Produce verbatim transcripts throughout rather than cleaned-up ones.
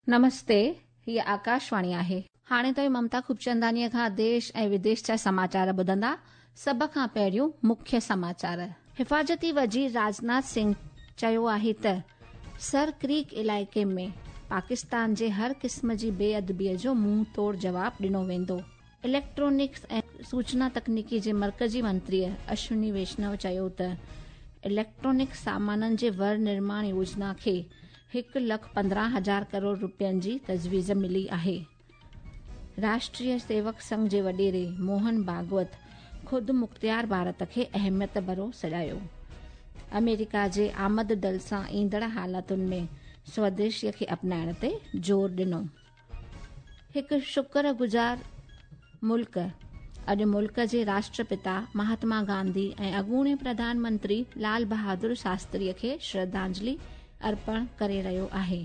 نمستي، هيء آڪاشواڻي آهي. هاڻي توهين ممتا خوبچنداڻيء کان ديش ۽ وديش جا سماچار ٻڌندا. سڀ کان پهريون مکيه سماچار. حفاظتي وزير راجناٿ سنگهه چيو آهي ته سر ڪريڪ علائقي ۾ پاڪستان جي هر قسم جي بي ادبيء جو منهن توڙ جواب ڏنو ويندو. اليڪٽرانڪس ۽ سوچنا تڪنيڪي جي مرڪزي منتريء اشوني ويشنو چيو ته اليڪٽرانڪ سامانن جي ور نرماڻ يوجنا کي هڪ لک پندرهن هزار ڪروڙ رپين جي تجويز ملي آهي. راشٽريه سيوڪ سنگهه جي وڏيري موهن ڀاڳوت خود مختيار ڀارت کي اهميت ڀرو سڏايو. آمريڪا جي آمد ڊل سان ايندڙ حالتن ۾ سوديشيء کي اپنائڻ تي زور ڏنو. هڪ شڪر گذار ملڪ اڄ ملڪ جي راشٽرپتا مهاتما گانڌي ۽ اڳوڻي پرڌان منتري لال بهادر شاستريء کي شرڌانجلي ارپڻ ڪري رهيو آهي.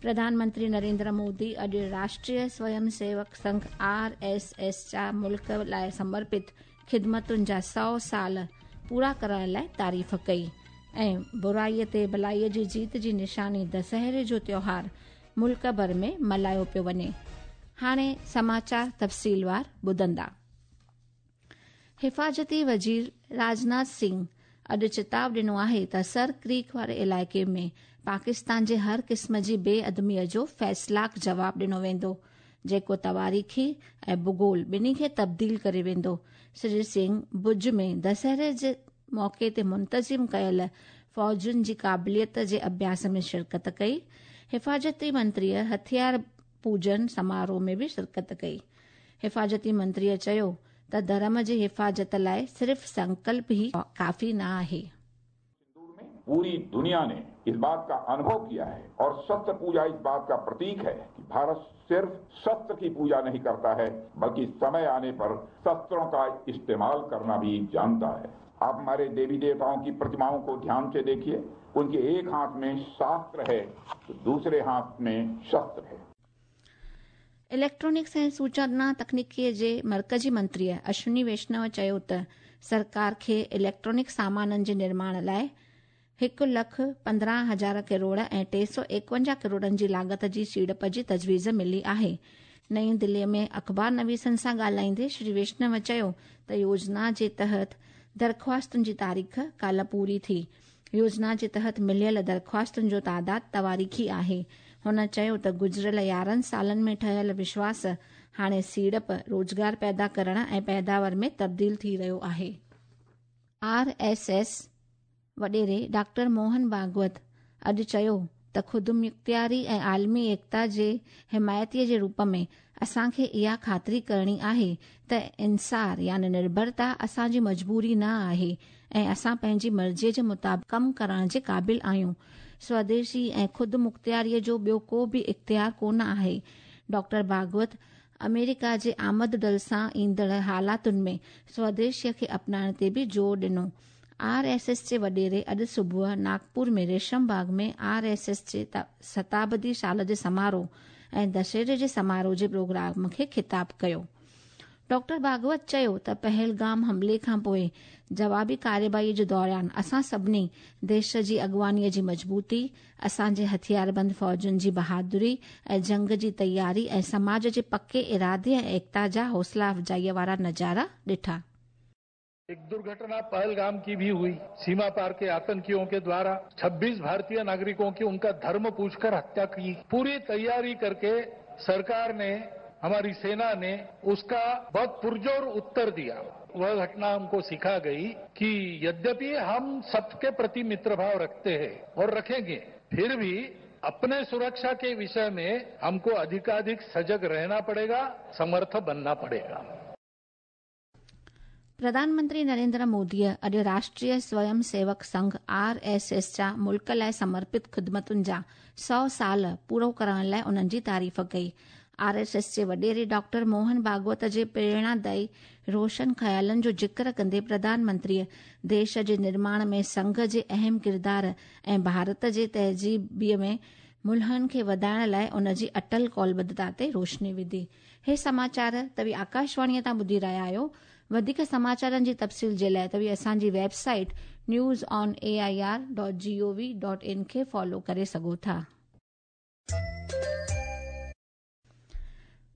پرڌان منتري نريندر مودي اڄ راشٽريه سويم سيوڪ سنگهه آر ايس ايس جا ملڪ لاءِ سمرپت خدمتن جا سؤ سال پورا ڪرڻ لاءِ تعريف ڪئي ۽ برائيءَ تي ڀلائيءَ جي جيت جي نشاني دسهري جو تيوهار ملڪ ڀر ۾ ملهايو پيو وڃي. هاڻي سماچار تفصيلوار ٻڌندا. حفاظتي وزير راجناٿ سنگهه اڄ چتاءُ ڏنو آهي ته سر ڪريڪ واري علائقي ۾ پاڪستان جي هر قسم جي بي ادبيءَ جو فيصلاڪ جواب ڏنو ويندو، جيڪو تواريخي ۽ ڀوگول ٻنهي کي تبديل ڪري ويندو. شري سنگهه ڀڄ ۾ دسهري جي موقعي تي منتظم ڪيل فوجن جي قابليت جي اڀياس ۾ شرڪت ڪئي. حفاظتي منتريءَ هٿيار پوجن سماروهه ۾ به شرڪت ڪئي. حفاظتي منتريءَ چيو ته ڌرم جي حفاظت لاءِ صرف سنڪلپ ئي ڪافي نه آهي. पूरी दुनिया ने इस बात का अनुभव किया है और शस्त्र पूजा इस बात का प्रतीक है कि भारत सिर्फ शस्त्र की पूजा नहीं करता है, बल्कि समय आने पर शस्त्रों का इस्तेमाल करना भी जानता है। आप हमारे देवी देवताओं की प्रतिमाओं को ध्यान से देखिए, उनके एक हाथ में शास्त्र है तो दूसरे हाथ में शस्त्र है। इलेक्ट्रॉनिक्स ऐं सूचना तकनीकीअ जे मर्कज़ी मंत्रीअ अश्विनी वैष्णव चयो त सरकार खे इलेक्ट्रॉनिक सामाननि जे निर्माण लाइ هڪ لک پندرهن هزار ڪروڙ ۽ ٽي سؤ ايڪونجاهه ڪروڙن جي لاڳت جي سيڙپ جي تجويز ملي آهي. نئين دليءَ ۾ اخبار نويسن سان ڳالهائيندي شري ويشنو چيو ته يوجنا جي تحت درخواستن جي تاريخ ڪالهه پوري ٿي. يوجنا جي تحت مليل درخواستن جو تعداد تواريخي آهي. هن چيو ته گذريل يارهن سالن ۾ ٺهيل وشواس هاڻي سيڙپ، روزگار پيدا ڪرڻ ۽ پيداوار ۾ تبديل ٿي رهيو آهي. آر ايس ايس وڏيري ڊاڪٽر موهن ڀاڳوت اڄ چيو ته خودمختياري ۽ عالمي ايڪتا جي حمايتيءَ جي روپ ۾ اسان کي اها خاطري ڪرڻي آهي ته انحصار يعني نرڀرتا اسان جي مجبوري نه آهي ۽ اسان پنهنجي مرضيءَ جي مطابق ڪم ڪرڻ جي قابل آهيون. سوديشي ۽ خود مختياريءَ جو ٻيو ڪو به اختيار ڪونه آهي. ڊاڪٽر ڀاڳوت آمريڪا جي آمد ڊل سان ايندڙ حالاتن ۾ سوديشيءَ کي اپنائڻ تي به زور ڏنو. آر ايس ايس جي وڏيري اڄ صبح ناگپور ۾ ريشم باغ ۾ آر ايس ايس جي شتابدي سال جي سماروهه ۽ دشهري جي سماروهه جي پروگرام کي خطاب ڪيو. ڊاڪٽر ڀاڳوت چيو ته پهلگام حملي کان پوءِ جوابي ڪارروائيءَ جي دوران اسان سڀني ديش جي اڳواڻيءَ جي مضبوطي، اسان جي هٿياربند فوجن جي بهادري ۽ جنگ جي تياري ۽ سماج جي پڪي ارادي ۽ ايڪتا جا حوصلا افزائيءَ وارا نظارا ڏٺا. एक दुर्घटना पहलगाम की भी हुई। सीमा पार के आतंकियों के द्वारा छब्बीस भारतीय नागरिकों की उनका धर्म पूछकर हत्या की। पूरी तैयारी करके सरकार ने, हमारी सेना ने उसका बहुत पुरजोर उत्तर दिया। वह घटना हमको सिखा गई कि यद्यपि हम सबके प्रति मित्रभाव रखते हैं और रखेंगे, फिर भी अपने सुरक्षा के विषय में हमको अधिकाधिक सजग रहना पड़ेगा, समर्थ बनना पड़ेगा। प्रधानमंत्री नरेंद्र मोदीअ अॼु राष्ट्रीय स्वयं Sevak Sangh R S S जा मुल्क लाइ समर्पित ख़िदमतुनि जा सौ साल पूरो करण लाइ उन्हनि जी तारीफ़ कई. आर एस एस जे वॾेरे डॉक्टर मोहन भागवत जे प्रेरणादायी रोशन ख़यालनि जो ज़िक्र कंदे प्रधानमंत्रीअ देश जे निर्माण में संघ जे अहम किरदार ऐं भारत जे तहज़ीबीअ में मुल्हनि खे वधाइण लाइ उन जी अटल कौलबद्धता ते रोशनी विधी. हे समाचार तव्हीं आकाशवाणीअ तां ॿुधी रहिया आहियो. वधीक समाचारनि जी तफ़सील जे लाइ तव्हीं असांजी website news on A I R dot G O V dot in खे फॉलो करे सघो था.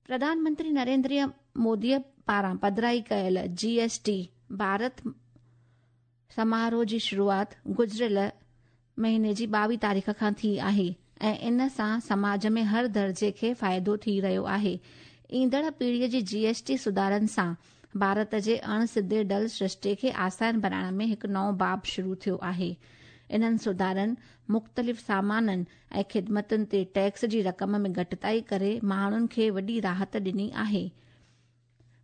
प्रधान मंत्री नरेंद्र मोदीअ पारां पधराई कयल जीएसटी भारत समारोह जी शुरूआत गुज़िरियल महीने जी ॿावीह तारीख़ खां थी आहे ऐं इन सां समाज में हर दर्जे खे फ़ाइदो थी रहियो आहे। ईंदड़ पीढ़ीअ जी जीएसटी सुधारनि सां भारत जे अण सिधे डल सृष्टि खे आसान बणाइण में हिकु नओं बाब शुरू थियो आहे। इन्हनि सुधारनि मुख़्तलिफ़ सामाननि ऐं ख़िदमतुनि ते टैक्स जी रक़म में घटिताई करे माण्हुनि खे वॾी राहत ॾिनी आहे।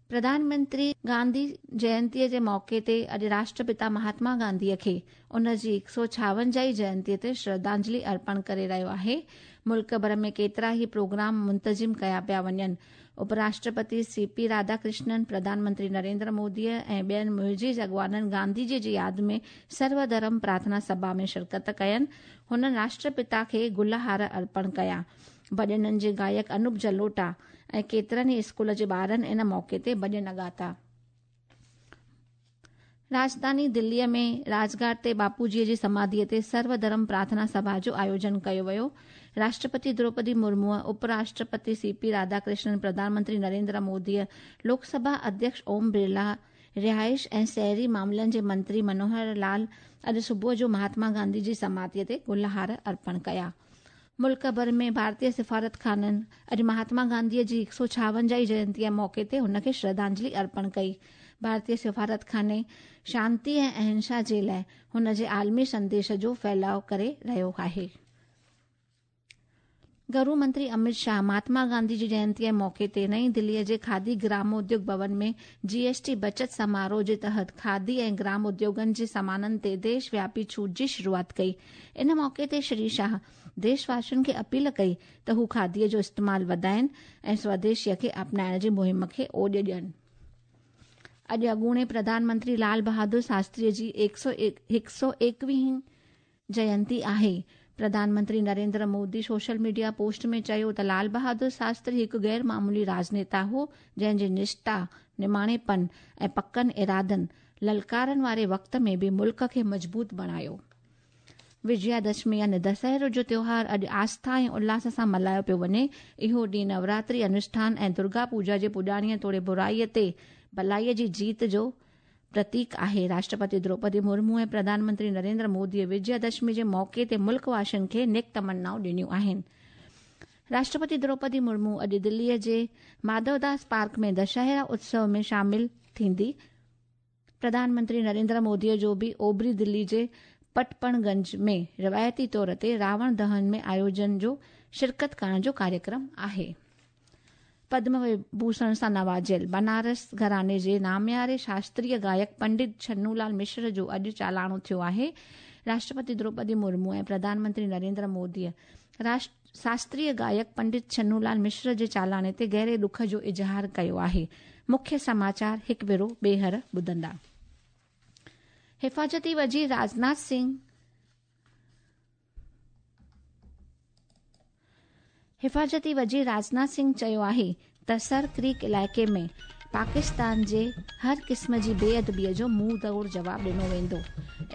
प्रधानमंत्री गांधी जयंतीअ जे मौक़े ते अॼु राष्ट्रपिता महात्मा गांधीअ खे उन जी हिकु सौ छावंजाही जयंतीअ ते श्रद्धांजलि अर्पण करे रहियो आहे। मुल्क भर में केतिरा ई प्रोग्राम मुंतज़िम कया पिया वञनि। उपराष्ट्रपति सी पी राधाकृष्णन, प्रधानमंत्री नरेंद्र मोदीअ ऐं ॿियनि मुइज़ अॻवाननि गांधीजीअ जी यादि में सर्वधर्म प्रार्थना सभा में शिरकत कयनि। हुननि राष्ट्रपिता खे गुलहार अर्पण कया। भॼननि जे गायक अनूप जलोटा ऐं केतिरनि ई स्कूल जे ॿारनि इन मौक़े ते भॼन ॻाता। राजधानी दिल्लीअ में राजघाट ते बापूजीअ जी समाधीअ ते सर्वधर्म प्रार्थना सभा जो आयोजन कयो वियो। राष्ट्रपति द्रौपदी मुर्मू, उपराष्ट्रपति सी पी राधाकृष्णन, प्रधानमंत्री नरेंद्र मोदीअ, लोकसभा अध्यक्ष ओम बिरला, रिहाइश ऐं शहरी मामलनि जे मंत्री मनोहर लाल अॼु सुबुह जो महात्मा गांधी जी समाधीअ ते गुलहार अर्पण कया। मुल्क भर में भारतीय सिफारत खाननि अॼु महात्मा गांधीअ जी हिकु सौ छावंजाही जयंतीअ मौक़े ते हुनखे श्रद्धांजलि अर्पण कई। भारतीय सिफारत खाने शांति ऐं अहिंसा जे लाइ हुन जे आलमी संदेश जो फैलाव करे रहियो आहे। गृह मंत्री अमित शाह महात्मा गांधी जी जयंतीअ मौक़े ते नई दिल्लीअ जे खादी ग्रामोद्योग भवन में जीएसटी बचत समारोह जे तहत खादी ऐं ग्राम उद्योगनि जे सामाननि ते देशव्यापी छूट जी शुरूआत कई। इन मौक़े ते श्री शाह देशवासियुनि खे अपील कई त हू खादीअ जो इस्तेमालु वधाइनि ऐं स्वदेशीअ खे अपनाइण जी मुहिम खे ओॾ ॾियनि। अॼु अॻूणे प्रधानमंत्री लाल बहादुर शास्त्रीअ जी हिकु सौ एकवीह जयंती आहे। प्रधानमंत्री Narendra Modi social media post में चयो त लाल बहादुर शास्त्री हिकु गैर मामूली राजनेता हो, जंहिंजी निष्ठा, निमाणेपन ऐं पकनि इरादनि ललकारनि वारे वक़्त में बि मुल्क खे मज़बूत बणायो। विजयादशमी यानी दशहरो जो त्योहार अॼु आस्था ऐं उल्हास सां मल्हायो पियो वञे। इहो ॾींहुं नवरात्रि अनुष्ठान ऐं दुर्गा पूजा जे पुॼाणीअ तोड़े बुराईअ ते भलाईअ जी जीत जो प्रतीक आहे। राष्ट्रपति द्रौपदी मुर्मू ऐं प्रधानमंत्री नरेंद्र मोदीअ विजयादशमी जे मौक़े ते मुल्क वासियुनि खे नेक तमन्नाऊं ॾिनियूं आहिनि। राष्ट्रपति द्रौपदी मुर्मू अॼु दिल्लीअ जे माधवदास पार्क में दशहरा उत्सव में शामिल थींदी। प्रधानमंत्री नरेंद्र मोदीअ जो बि ओभरी दिल्ली जे पटपणगंज में रिवायती तौर ते रावण दहन में आयोजन जो शिरकत करण जो कार्यक्रम आहे। पद्म विभूषण सां नवाजियल बनारस घराने जे नामियारे शास्त्रीय गायक पंडित छन्नूलाल मिश्र जो अॼु चालाणो थियो आहे। राष्ट्रपति द्रौपदी मुर्मू ऐं प्रधानमंत्री नरेंद्र मोदीअ शास्त्रीय गायक पंडित छन्नूलाल मिश्र जे चालाणे ते गहरे ॾुख जो इज़हार कयो आहे। मुख्य समाचार हिकु भेरो ॿीहर ॿुधंदा। हिफाज़ती वज़ीर राजनाथ सिंह हिफाज़ती वज़ीर राजनाथ सिंह चयो आहे त सर क्रीक इलाइक़े में पाकिस्तान जे हर क़िस्म जी बेअदबीअ जो मुंहुं तोड़ जवाब ॾिनो वेंदो।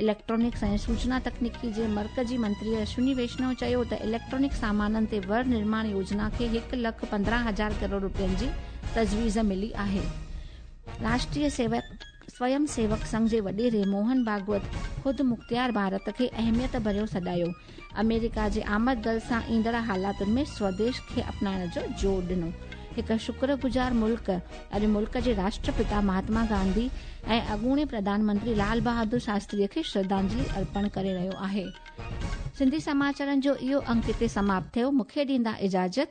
इलेक्ट्रॉनिक्स ऐं सूचना तकनीकी जे मर्कज़ी मंत्री अश्विनी वैष्णव चयो त इलेक्ट्रॉनिक सामाननि ते वर निर्माण योजना खे हिकु लख पंद्रहं हज़ार करोड़ रुपयनि जी तजवीज़ मिली आहे। राष्ट्रीय सेवक स्वयं सेवक संघ जे वॾेरे मोहन भागवत ख़ुदि मुख्तियार भारत खे अहमियत भरियो सॾायो। अमेरिका जे आमद दल सां ईंदड़ हालातुनि में स्वदेश खे अपनाइण जो ज़ोर ॾिनो। हिकु शुक्रगुज़ार मुल्क अॼु मुल्क जे राष्ट्रपिता महात्मा गांधी ऐं अॻूणे प्रधानमंत्री लाल बहादुर शास्त्रीअ खे श्रद्धांजलि अर्पण करे रहियो आहे। सिंधी समाचारनि जो इहो अंक हिते समाप्त थियो। मूंखे ॾींदा इजाज़त।